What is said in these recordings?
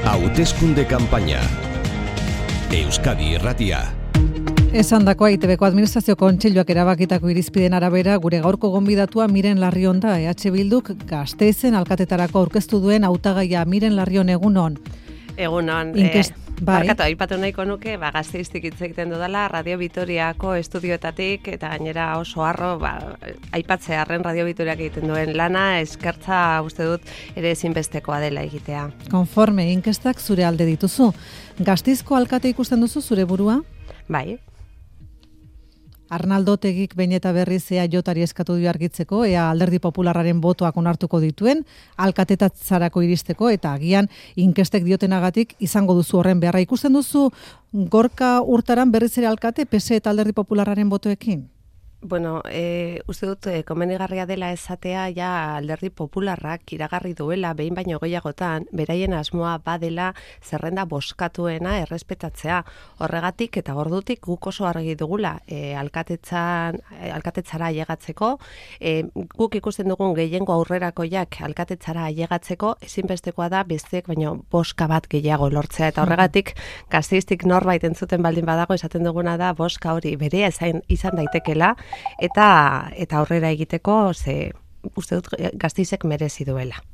Hauteskunde kanpaina. Euskadi Irratia. Esandakoa ITBko Administrazio Kontseiluak erabakitako irizpideen arabera, gure gaurko gonbidatua Miren Larrion da. EH Bilduk Gasteizen alkatetarako aurkeztu duen hautagaia. Miren Larrion, egunon. Egunon. Barkatu, aipatu nahiko nuke, Gasteiztik hitz egiten dudala, Radio Vitoriako estudioetatik, eta gainera oso harro, aipatzearren Radio Vitoriak egiten duen lana, eskertza uste dut ere ezinbestekoa dela egitea. Konforme, inkestak zure alde dituzu. Gasteizko alkate ikusten duzu zure burua? Bai. Arnaldo Otegik behin eta berriz EAJari eskatu dio argitzeko, ea Alderdi Popularraren botoak onartuko dituen, alkatetatzarako iristeko, eta agian inkestek diotenagatik izango duzu horren beharra. Ikusten duzu Gorka Urtaran berriz ere alkate, PSE eta Alderdi Popularraren botoekin? Bueno, uste dut komenigarria dela esatea ja Alderdi Popularrak iragarri duela behin baino gehiagotan beraien asmoa badela zerrenda boskatuena errespetatzea. Horregatik eta ordutik guk oso argi dugula alkatetzara ailegatzeko, guk ikusten dugun gehiengo aurrerakoiak alkatetzara ailegatzeko ezinbestekoa da besteek baino boska bat gehiago lortzea, eta horregatik Gasteiztik norbait entzuten baldin badago esaten duguna da boska hori berea izan daitekela, eta aurrera egiteko uste dut Gasteizek merezi duela.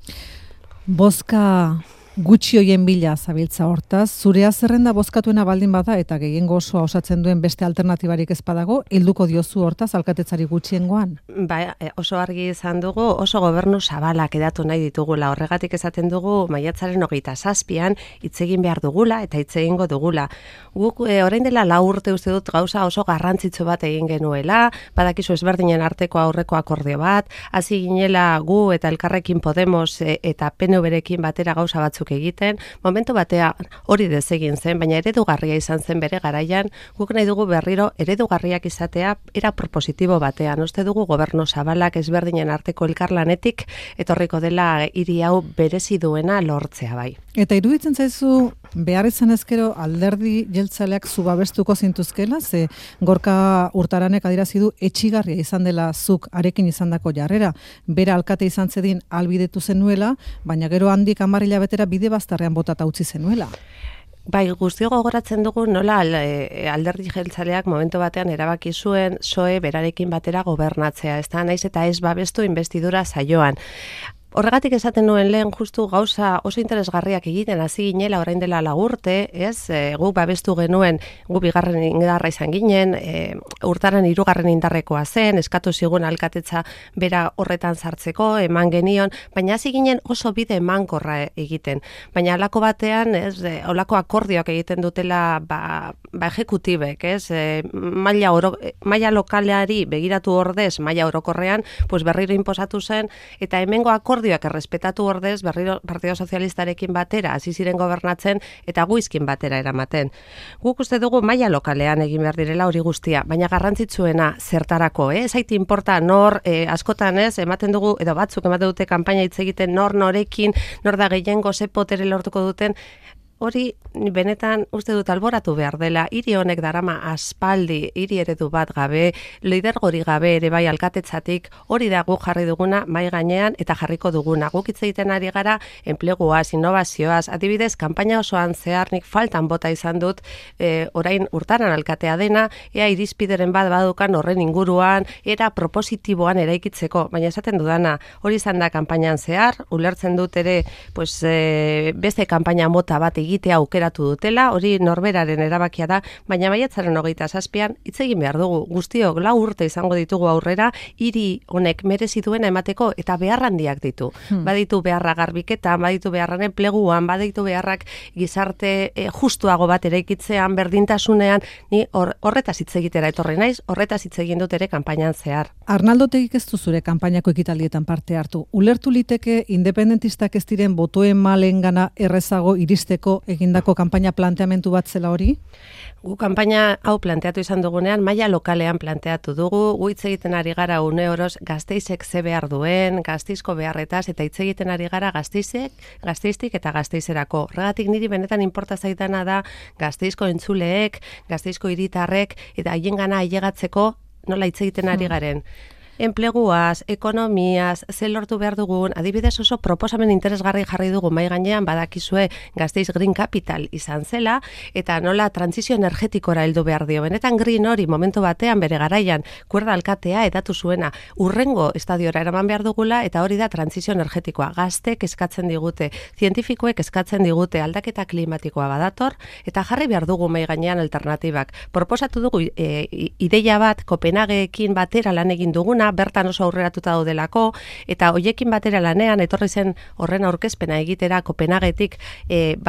Bozka gutxi hoien bila zabiltza hortaz, zurea zerrenda bozkatuena baldin bada eta gehiengo osoa osatzen duen beste alternatibarik ez badago, helduko diozu hortaz alkatetzari gutxiengoan? Ba, oso argi izan dugu, oso gobernu zabalak edatu nahi ditugula. Horregatik esaten dugu maiatzaren 27an hitz egin behar dugula eta hitz egingo dugula. Guk orain dela 4 urte uste dut gauza oso garrantzitsu bat egin genuela, badakizu ezberdinen arteko aurreko akordio bat, hasi ginela gu eta Elkarrekin Podemos eta PNVrekin batera gauza batzuk egiten, momentu batea hori desegin zen, baina eredugarria izan zen bere garaian, guk nahi dugu berriro eredugarriak izatea era propositibo batean. Uste dugu gobernu zabalak ezberdinen arteko elkarlanetik etorriko dela hiri hau berezi duena lortzea bai. Eta iruditzen zaizu behar izan ezkero Alderdi jeltzaleak zubabestuko zintuzkela, ze Gorka Urtaranek adierazi du etxigarria izan dela zuk arekin izandako jarrera. Bera alkate izan zedin albidetu zenuela, baina gero handik 10 hilabetera bide bazterrean botata utzi zenuela. Bai, guztio gogoratzen dugu nola Alderdi jeltzaleak momentu batean erabaki zuen PSOE berarekin batera gobernatzea, ez da, naiz eta ez babestu inbestidura saioan. Horregatik esaten nuen lehen justu gauza oso interesgarriak egiten hasi ginela orain dela 4 urte, ez? Gu babestu genuen, gu bigarren indarra izan ginen, Urtaran 3. indarrekoa zen, eskatu zigun alkatetza bera horretan sartzeko, eman genion, baina hasi ginen oso bide emankorra egiten. Baina halako batean, ez, holako akordioak egiten dutela ejekutibek, ez? Maila lokalari begiratu ordez, maila orokorrean, pues berriro inposatu zen, eta hemengo akordioak errespetatu ordez berriro Partido Sozialistarekin batera hasi ziren gobernatzen eta guizkin batera eramaten. Guk uste dugu maila lokalean egin behar direla hori guztia, baina garrantzitsuena zertarako, zait inporta nor, askotan ez, ematen dugu, edo batzuk ematen dute kanpaina hitz egiten norekin, nor da gehiengo ze potere lortuko duten. Hori benetan uste dut alboratu behar dela, hiri honek darama aspaldi, hiri eredu bat gabe, lidergori gabe ere bai alkatetzatik, hori da guk jarri duguna mai gainean eta jarriko duguna. Guk hitz egiten ari gara enpleguaz, innovazioaz, adibidez, kanpaina osoan zehar nik faltan bota izan dut, orain Urtaran alkatea dena, ea irizpideren bat badukan horren inguruan, era propositiboan eraikitzeko, baina esaten dudana, hori izan da kanpainan zehar, ulertzen dut ere, pues, beste kanpaina mota bat egitea aukeratu dutela, hori norberaren erabakia da, baina maiatzaren 27an hitz egin behar dugu. Guztiok 4 urte izango ditugu aurrera, hiri honek merezi duena emateko eta behar handiak ditu. Baditu beharra garbiketan, baditu beharran enpleguan, baditu beharrak gizarte justuago bat eraikitzean, berdintasunean, ni horretaz hitz egitera etorri naiz, horretaz hitz egin dut ere kanpainan zehar. Arnaldo Otegik ez du zure kanpainako ekitaldietan parte hartu. Ulertu liteke independentistak ez diren botoen malengana errezago iristeko egindako kanpaina planteamentu bat zela hori? Gu kanpaina hau planteatu izan dugunean, maila lokalean planteatu dugu, gu hitz egiten ari gara une oroz Gasteizek ze behar duen, Gasteizko beharretaz, eta hitz egiten ari gara Gasteiztik eta Gasteizerako. Horregatik niri benetan inporta zaidana da Gasteizko entzuleek, Gasteizko hiritarrek, eta haiengana ailegatzeko nola hitz egiten ari garen. Enpleguaz, ekonomiaz, ze lortu behar dugun, adibidez oso proposamen interesgarri jarri dugu mai gainean badakizue Gasteiz Green Capital izan zela, eta nola trantsizio energetikora heldu behar dio. Benetan green hori momentu batean bere garaian kuerda alkatea edatu zuena urrengo estadiora eraman behar dugula, eta hori da trantsizio energetikoa. Gaztek eskatzen digute, zientifikoek eskatzen digute, aldaketa klimatikoa badator, eta jarri behar dugu mai gainean alternatibak. Proposatu dugu ideia bat Kopenhageekin batera lan egin duguna, bertan oso aurreratuta daudelako, eta hoiekin batera lanean etorri zen horren aurkezpena egitera Kopenhagetik,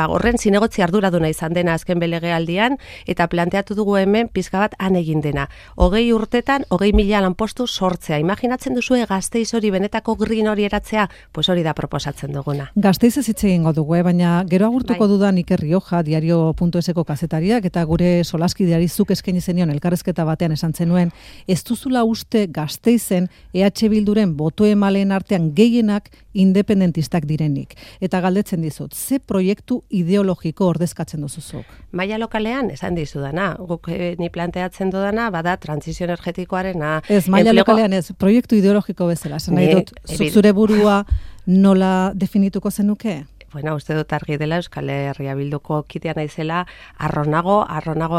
horren zinegotzi arduraduna izan dena azken belegealdian, eta planteatu dugu hemen pizka bat han egin dena. 20 urtetan 20.000 lanpostu sortzea. Imaginatzen duzue Gasteiz hori benetako green hori eratzea, pues hori da proposatzen duguna. Gasteiz ez hitz egingo dugu, baina gero agurtuko dudan Iker Rioja, diario.eseko kazetariak, eta gure solaskideari zuk eskaini zenion elkarrezketa batean esan zenuen, ez duzula uste Gasteizen EH Bilduren boto emaleen artean gehienak independentistak direnik. Eta galdetzen dizut, ze proiektu ideologiko ordezkatzen duzuzuk? Maila lokalean, esan dizudana, guk ni planteatzen dudana, bada trantsizio energetikoarena. Ez, maila lokalean ez, proiektu ideologiko bezala. Esan nahi dut, zure burua nola definituko zenuke? Bueno, uste dut argi dela Euskal Herria Bilduko kidea naizela, arronago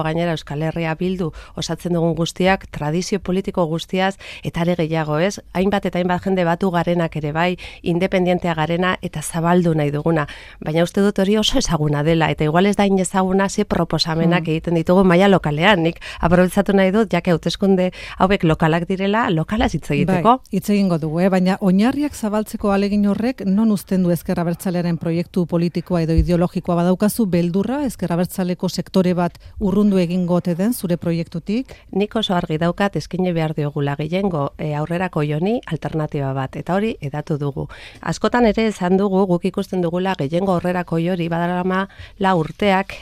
gainera Euskal Herria Bildu osatzen dugun guztiak, tradizio politiko guztiaz, eta ere gehiago ez, hainbat eta hainbat jende batu garenak ere bai, independientea garena eta zabaldu nahi duguna. Baina uste dut hori oso ezaguna dela, eta igual ez da inezaguna ze proposamenak egiten ditugu maila lokalean. Nik aprobetxatu nahi dut, jake hauteskunde hauek lokalak direla, lokalaz hitz egiteko. Bai, hitz egingo dugu, baina oinarriak zabaltzeko ahalegin horrek non uzten du Ezker Abertzalearen proiektu politikoa edo ideologikoa badaukazu, beldurra Ezker Abertzaleko sektore bat urrundu egingo ote den zure proiektutik? Nik oso argi daukat eskaini behar diogula gehiengo aurrerako joni alternatiba bat, eta hori edatu dugu. Askotan ere esan dugu, guk ikusten dugula gehiengo aurrerako jori badarama la urteak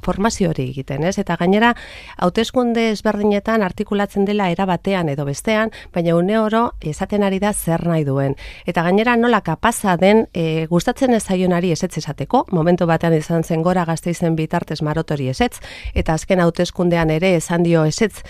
formazio hori egiten, ez? Eta gainera, hauteskunde ezberdinetan artikulatzen dela era batean edo bestean, baina une oro esaten ari da zer nahi duen. Eta gainera nola kapaza den gustatzen ez zaionari ezetz esateko, momentu batean izan zen Gora Gasteizen bitartez Marotori ezetz, eta azken hauteskundean ere esan dio ezetz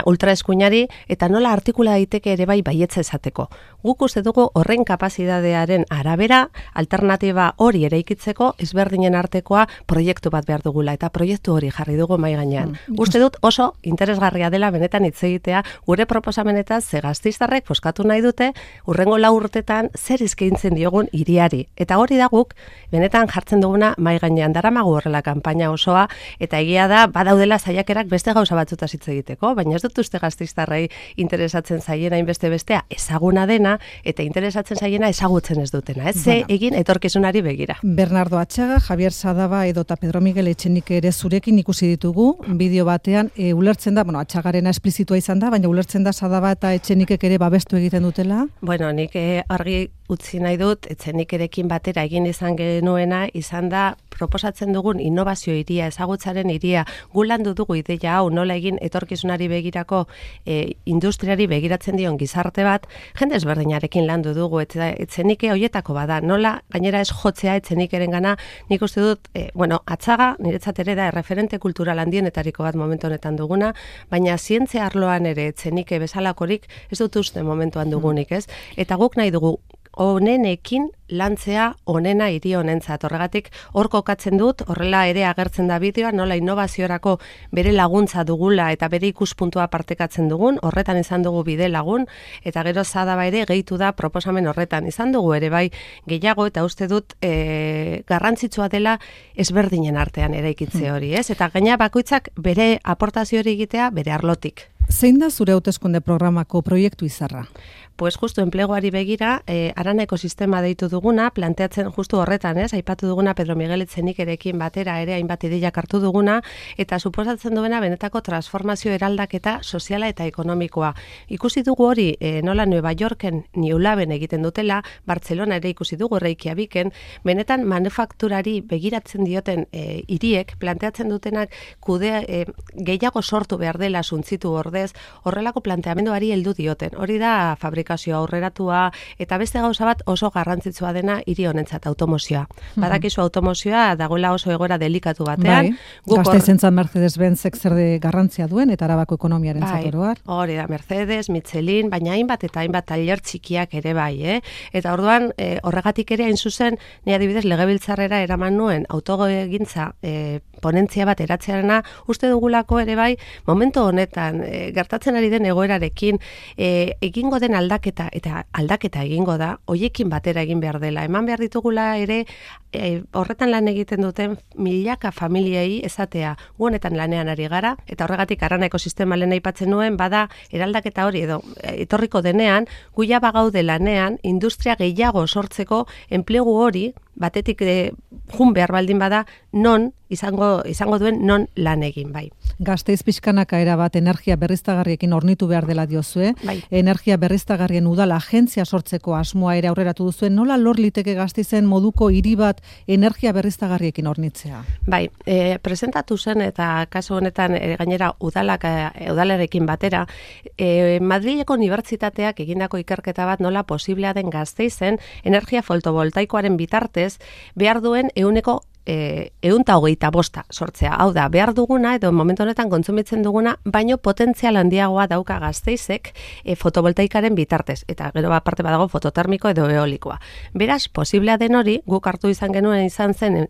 ultraeskuinari, eta nola artikula daiteke ere bai baietza esateko. Guk uste dugu horren kapazitatearen arabera, alternatiba hori eraikitzeko ezberdinen artekoa proiektu bat behar dugula, eta proiektu hori jarri dugu mai gainean. Uste dut oso interesgarria dela benetan hitz egitea gure proposamenetaz ze gasteiztarrek poskatu nahi dute urrengo 4 urtetan zer eskaintzen diogun hiriari. Eta hori da guk benetan jartzen duguna mai gainean, daramagu horrela kanpaina osoa, eta egia da badaudela saiakerak beste gauza batzutaz hitz egiteko, baina ez dut uste gasteiztarrei interesatzen zaiena hainbeste bestea ezaguna dena, eta interesatzen zaiena ezagutzen ez dutena. Ez ze egin etorkizunari begira. Bernardo Atxaga, Javier Sadaba edota Pedro Miguel Etxenike ere zurekin ikusi ditugu bideo batean, ulertzen da, Atxagarena esplizitua izan da, baina ulertzen da Sadaba eta Etxenikek ere babestu egiten dutela? Bueno, nik argi utzi nahi dut, Etxenikerekin batera egin izan genuena, izan da proposatzen dugun innovazio hiria, ezagutzaren hiria, gu landu dugu ideia hau, nola egin etorkizunari begirako industriari begiratzen dion gizarte bat, jende ezberdinarekin landu dugu, Etxenike hoietako bada, nola gainera ez jotzea Etxenikeren gana, nik uste dut, Atxaga niretzat ere da referente kultural handienetariko bat momentu honetan duguna, baina zientzia arloan ere Etxenike bezalakorik ez dut uste momentuan dugunik, ez? Eta guk nahi dugu onenekin lantzea onena hiri honentzat. Horregatik hor kokatzen dut, horrela ere agertzen da bideoa, nola innovaziorako bere laguntza dugula eta bere ikuspuntua partekatzen dugun, horretan izan dugu bide lagun, eta gero Sadaba ere gehitu da proposamen horretan. Izan dugu ere bai gehiago, eta uste dut garrantzitsua dela ezberdinen artean eraikitze hori, ez? Eta gaina bakoitzak bere aportazio hori egitea bere arlotik. Zein da zure hauteskunde programako proiektu izarra? Pues justu enpleguari begira, Arana ekosistema deitu duguna, planteatzen justu horretan, ez? Aipatu duguna Pedro Miguel Etxenikerekin batera ere hainbat ideiak hartu duguna, eta suposatzen duena benetako transformazio eraldaketa soziala eta ekonomikoa. Ikusi dugu hori nola Nueva Yorken New Laben egiten dutela, Bartzelona ere ikusi dugu Reykjaviken, benetan manufakturari begiratzen dioten hiriek planteatzen dutenak gehiago sortu behar dela suntzitu ordez, ordez horrelako planteamenduari heldu dioten. Hori da fabrikazio aurreratua eta beste gauza bat oso garrantzitsua dena hiri honentzat automozioa. Badakizu automozioa dagoela oso egoera delikatu batean. Gasteizentzat Mercedes-Benzek zer de garrantzia duen eta Arabako ekonomiarentzat oro har. Hori da, Mercedes, Michelin, baina hainbat tailer txikiak ere bai, Eta orduan horregatik ere hain zuzen, ni adibidez legebiltzarrera eraman nuen autogintza ponentzia bat eratzearena uste dugulako ere bai momentu honetan gertatzen ari den egoerarekin egingo den aldaketa eta aldaketa egingo da, hoiekin batera egin behar dela. Eman behar ditugula ere horretan lan egiten duten milaka familiei esatea gu honetan lanean ari gara eta horregatik Arana ekosistema lehen aipatzen nuen bada eraldaketa hori edo etorriko denean guia bagaude lanean industria gehiago sortzeko enplegu hori batetik jun behar baldin bada non izango duen non lan egin bai. Gasteiz pixkanaka erabat energia berriztagarriekin hornitu behar dela diozue. Bai. Energia berriztagarrien udala agentzia sortzeko asmoa ere aurreratu duzuen. Nola lor liteke Gasteizen moduko hiri bat energia berriztagarriekin hornitzea? Bai, presentatu zen eta kasu honetan gainera udalarekin batera Madrileko unibertsitateak egindako ikerketa bat nola posiblea den Gasteizen energia fotovoltaikoaren bitartez behar duen 125 sortzea. Hau da, behar duguna edo momentu honetan kontsumitzen duguna, baino potentzial handiagoa dauka Gasteizek fotovoltaikaren bitartez. Eta gero aparte badago fototermiko edo eolikoa. Beraz, posiblea den hori, guk hartu izan genuen izan zen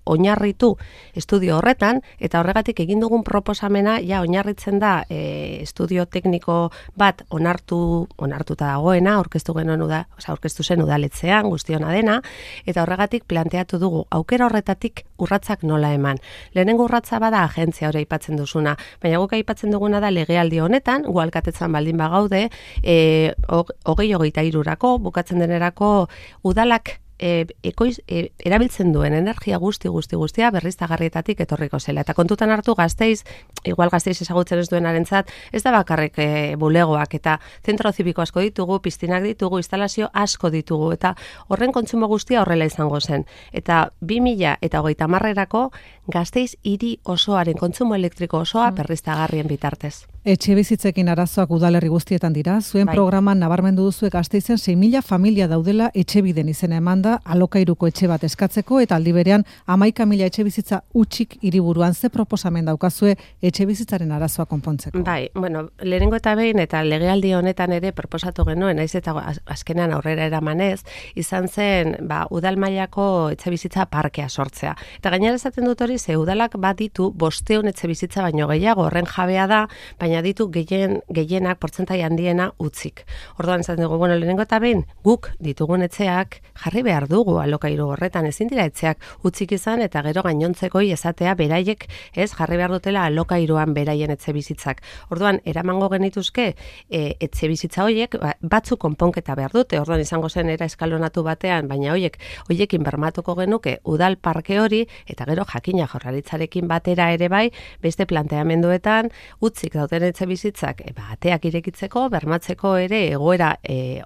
oinarritu estudio horretan, eta horregatik egin dugun proposamena, ja oinarritzen da estudio tekniko bat onartuta dagoena, aurkeztu zen udaletzean, guztiona dena, eta horregatik planteatu dugu aukera horretan urratzak nola eman. Lehenengo urratza bada agentzia hori aipatzen duzuna, baina guk aipatzen duguna da legealdi honetan, gu alkatetzan baldin bagaude, 2023 bukatzen denerako udalak erabiltzen duen energia guztia berriztagarrietatik etorriko zela. Eta kontutan hartu Gasteiz, igual Gasteiz ezagutzen ez duenarentzat, ez da bakarrik bulegoak eta zentro zibiko asko ditugu, piztinak ditugu, instalazio asko ditugu eta horren kontsumo guztia horrela izango zen. Eta 2030erako Gasteiz hiri osoaren kontsumo elektriko osoa berriztagarrien bitartez. Etxe bizitzekin arazoak udalerri guztietan dira. Zuen programan nabarmendu duzu Gasteizen 6.000 familia daudela etxebiden izena emanda alokairuko etxe bat eskatzeko eta aldi berean 11.000 etxe bizitza utxik hiriburuan. Ze proposamen daukazue etxe bizitzaren arazoa konpontzeko? Bai, bueno, lehenengo eta behin eta legealdi honetan ere proposatu genuen, naiz eta azkenean aurrera eramanez, izan zen udal mailako etxe bizitza parkea sortzea. Eta gainera esaten dut hori ze udalak bat ditu 500 etxe bizitza baino gehiago, horren jabea da, baina ditu gehienak portzentai handiena utzik. Orduan esaten dugu, bueno, lehenengo eta behin guk ditugun etxeak jarri behar dugu alokairu horretan, ezin dira etxeak utzik izan eta gero gainontzekoi esatea beraiek ez jarri behar dutela alokairuan beraien etxe bizitzak. Orduan eramango genituzke etxe bizitza horiek batzuk konponketa behar dute. Orduan izango zen era eskalonatu batean, baina horiekin bermatuko genuke udal parke hori eta gero jakina Jaurlaritzarekin batera ere bai beste planteamenduetan utzik dauten etxe bizitzak ateak irekitzeko, bermatzeko ere egoera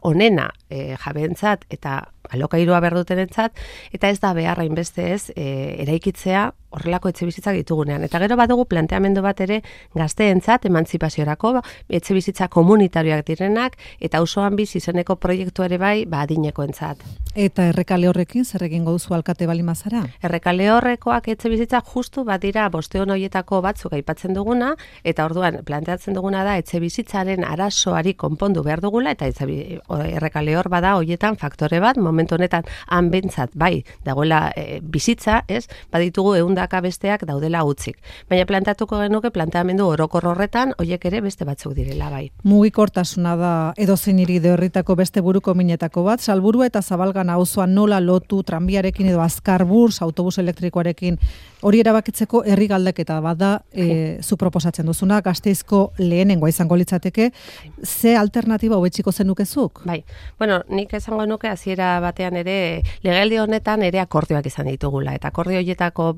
onena jabeentzat eta alokairua behar dutenentzat, eta ez da beharra inbeste ez eraikitzea horrelako etxe bizitzak ditugunean. Eta gero badugu planteamendu bat ere gazteentzat emantzipaziorako, etxe bizitza komunitarioak direnak, eta auzoan bizi izeneko proiektu ere bai adinekoentzat. Eta errekale horrekin zer egingo duzu alkate balimazara? Errekale horrekoak etxe bizitza justu bat dira 500 horietako batzuk aipatzen duguna, eta orduan planteatzen duguna da etxe bizitzaren arazoari konpondu behar dugula, eta errekale hor bada horietan faktore bat, momentu honetan hanbentzat bai dagoela bizitza, ez? Baditugu ehundaka besteak daudela utzik. Baina planteatuko genuke planteamendu orokor horretan horiek ere beste batzuk direla bai. Mugikortasuna da edozein hiri horritako beste buruko minetako bat, Salburua eta Zabalgana auzoan nola lotu tranbiarekin edo Azkarburs autobus elektrikoarekin hori erabakitzeko herri galdeketa bada zu proposatzen duzuna, Gasteizko lehenengoa izango litzateke, ze alternatiba hobetsiko zenukezuk? Bai, bueno, nik esango nuke hasiera batean ere legealdi honetan ere akordioak izan ditugula, eta akordio horietako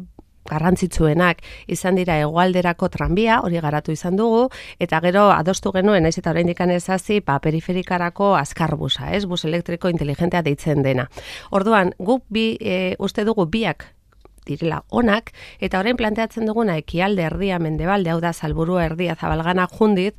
garrantzitsuenak izan dira hegoalderako tranbia, hori garatu izan dugu, eta gero adostu genuen, naiz eta oraindik ez hasi, periferikarako Azkarbusa, bus elektriko inteligentea deitzen dena. Orduan, guk uste dugu biak direla onak, eta orain planteatzen duguna ekialde erdia mendebalde, hau da Salburua erdia Zabalgana jundit,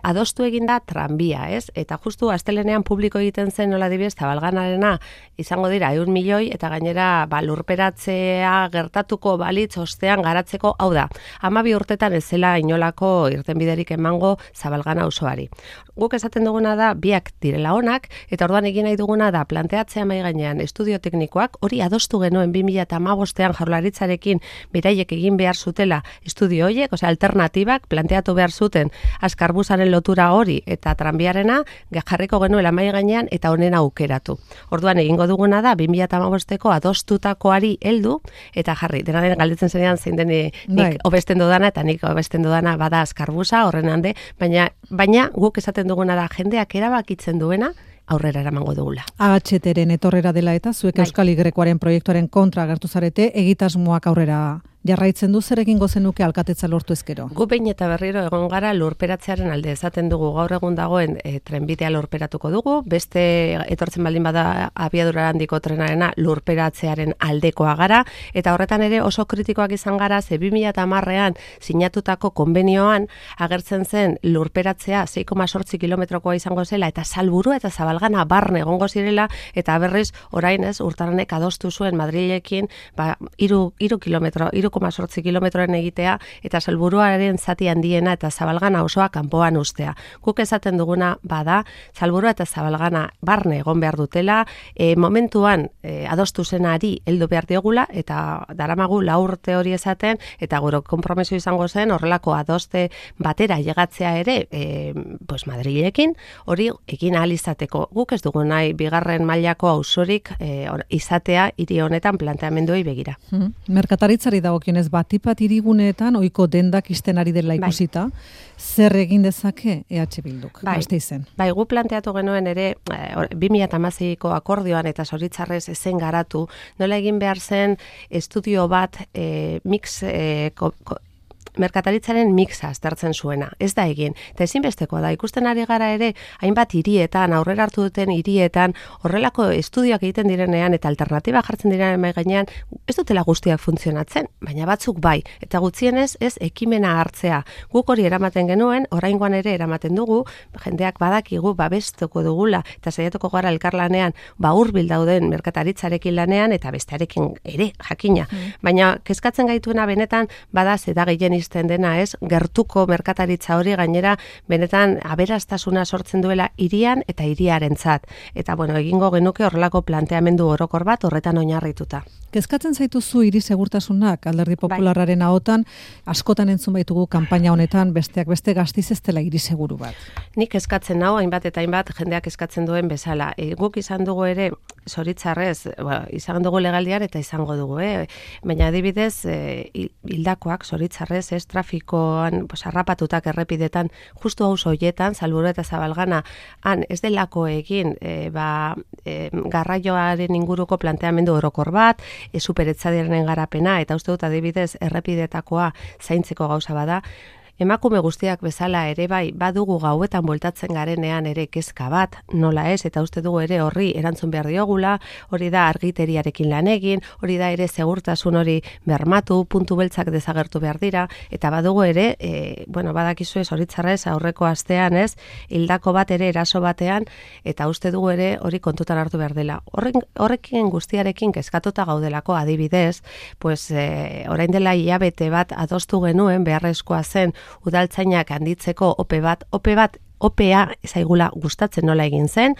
adostu eginda tranbia, ez? Eta justu astelenean publiko egiten zen nola dibidez Zabalganarena izango dira 100 milioi, eta gainera lurperatzea gertatuko balitz ostean garatzeko, hau da, 12 urtetan ez zela inolako irtenbiderik emango Zabalgana auzoari. Guk esaten duguna da biak direla onak, eta orduan egin nahi duguna da planteatzea mai gainean estudio teknikoak, hori adostu genuen 2015ean Jaurlaritzarekin beraiek egin behar zutela estudio horiek, osea alternatibak planteatu behar zuten Askarbusaren lotura hori eta tranbiarena jarriko genuela mai gainean eta honena aukeratu. Orduan egingo duguna da 2015eko adostutakoari heldu eta jarri. Dena den galdetzen zenean zein den nik hobesten dudana eta nik hobesten dudana bada Askarbusa horren hande, baina guk esaten duguna da jendeak erabakitzen duena aurrera eramango dugula. AHTren etorrera dela eta zuek Euskal Y-koaren proiektuaren kontra agertu zarete, egitasmoak aurrera jarraitzen du, zer egingo zenuke alkatetza lortu ezkero? Gu behin eta berriro egon gara lurperatzearen alde, esaten dugu gaur egun dagoen trenbidea lurperatuko dugu, beste etortzen baldin bada abiadura handiko trenarena lurperatzearen aldekoa gara, eta horretan ere oso kritikoak izan gara, ze 2010ean sinatutako konbenioan agertzen zen lurperatzea 6,8 kilometrokoa izango zela, eta Salburua eta Zabalgana barne egongo zirela, eta berriz orain ez urtaranek adostu zuen Madrilekin 3,8 kilometroen egitea eta Salburuaren zati handiena eta Zabalgana osoa kanpoan ustea. Guk esaten duguna bada, Salburua eta Zabalgana barne egon behar dutela, momentuan adostu zenari heldu behar diogula eta daramagu 4 urte hori esaten eta gure konpromiso izango zen horrelako adoste batera llegatzea ere pues Madrilekin hori egin ahal izateko. Guk ez dugu nahi bigarren mailako auzorik izatea hiri honetan planteamenduei begira. Merkataritzari dagokionez batipat hiriguneetan ohiko dendak isten ari dela ikusita, zer egin dezake EH Bilduk? Gasteizen. Bai, gu planteatu genuen ere 2016ko akordioan eta zoritxarrez ezen garatu, nola egin behar zen estudio bat merkataritzaren mixa aztertzen zuena. Ez da egin. Eta ezinbestekoa da, ikusten ari gara ere, hainbat hirietan, aurrera hartu duten hirietan, horrelako estudioak egiten direnean eta alternatiba jartzen direnean mai gainean, ez dutela guztiak funtzionatzen, baina batzuk bai. Eta gutxienez ez ekimena hartzea. Guk hori eramaten genuen, oraingoan ere eramaten dugu, jendeak badakigu babestuko dugula, eta saiatuko gara elkarlanean, hurbil dauden merkataritzarekin lanean, eta bestearekin ere, jakina. Baina kezkatzen gaituena benetan, bada zeda gehien dena ez, gertuko merkataritza hori gainera benetan aberastasuna sortzen duela hirian eta hiriarentzat. Eta bueno, egingo genuke horrelako planteamendu orokor bat horretan oinarrituta. Kezkatzen zaituzu hiri segurtasunak Alderdi Popularraren ahotan, askotan entzun baitugu kanpaina honetan besteak beste Gasteiz ez dela hiri seguru bat. Nik eskatzen nau hainbat eta hainbat jendeak eskatzen duen bezala. Guk izan dugu ere zoritxarrez, izan dugu legaldian eta izango dugu, baina adibidez hildakoak zoritxarrez trafikoan harrapatutak errepidetan justu auzo hoietan Salburua eta Zabalgana han ez delako egin garraioaren inguruko planteamendu orokor bat, superetzadiaren garapena eta uste dut adibidez errepidetakoa zaintzeko gauza bada. Emakume guztiak bezala ere bai badugu gauetan bueltatzen garenean ere kezka bat, nola ez, eta uste dugu ere horri erantzun behar diogula, hori da argiteriarekin lan egin, hori da ere segurtasun hori bermatu, puntu beltzak desagertu behar dira, eta badugu ere, badakizue zoritxarrez aurreko astean ez, hildako bat ere eraso batean, eta uste dugu ere hori kontutan hartu behar dela. Horrekin guztiarekin kezkatuta gaudelako adibidez, orain dela hilabete bat adostu genuen beharrezkoa zen udaltzainak handitzeko ope bat OPA zaigula gustatzen nola egin zen,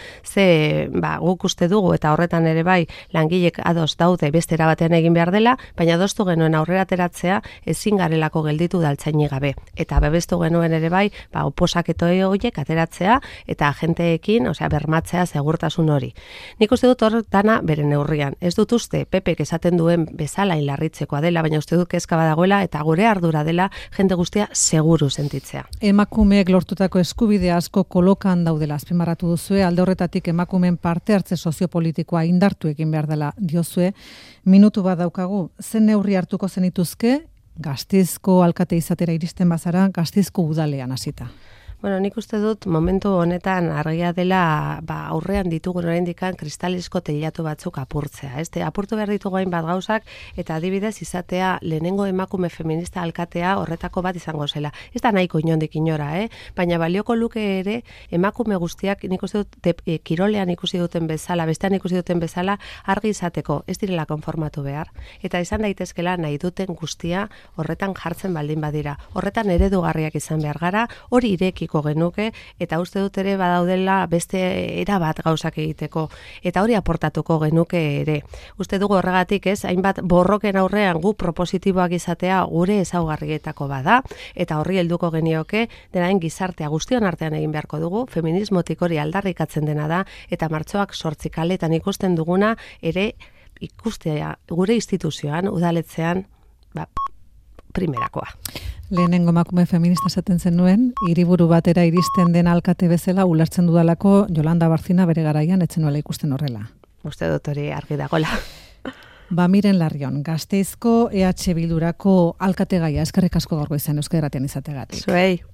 guk uste dugu eta horretan ere bai langilek ados daude bestera batean egin behar dela, baina adostu genuen aurrera ateratzea ezin garelako gelditu udaltzaini gabe. Eta bebestu genuen ere bai, oposaketo horiek ateratzea eta agenteekin, bermatzea segurtasun hori. Nik uste dut hor dana bere neurrian. Ez dut uste Pepek esaten duen bezala inlarritzekoa dela, baina uste dut kezka badagoela eta gure ardura dela jende guztia seguru sentitzea. Emakumeek lortutako eskubide asko kolokan daudela azpimarratu duzue, alde horretatik emakumeen parte hartze soziopolitikoa indartu egin behar dela diozue. Minutu bat daukagu, zen neurri hartuko zenituzke Gasteizko alkate izatera iristen bazara, Gasteizko udalean hasita? Bueno, nik uste dut momentu honetan argia dela aurrean ditugun oraindikan kristalizko teilatu batzuk apurtzea. Apurtu behar ditugu hainbat gauzak eta adibidez izatea lehenengo emakume feminista alkatea horretako bat izango zela. Ez da nahiko inondik inora, baina balioko luke ere emakume guztiak nik uste dut kirolean ikusi duten bezala, bestean ikusi duten bezala argi izateko, ez direla konformatu behar. Eta izan daitezkela nahi duten guztia horretan jartzen baldin badira. Horretan eredugarriak izan behar gara, hori irekiko genuke, eta uste dut ere badaudela beste erabat gauzak egiteko, eta hori aportatuko genuke ere. Uste dugu horregatik hainbat borroken aurrean gu propositiboak izatea gure ezaugarrietako bada, eta horri helduko genioke, denain gizartea guztion artean egin beharko dugu, feminismotik hori aldarrikatzen dena da, eta martxoak 8 kaletan ikusten duguna ere ikustea gure instituzioan, udaletzean, primerakoa. Lehenengo emakume feminista esaten zenuen, hiriburu batera iristen den alkate bezala ulertzen dudalako Yolanda Barcina bere garaian etzen nuela ikusten horrela. Uste dut hori argi dagoela. Miren Larrion, Gasteizko EH Bildurako alkategaia, eskerrik asko gaurko izan Euskadi Irratian izateagatik. Zuei.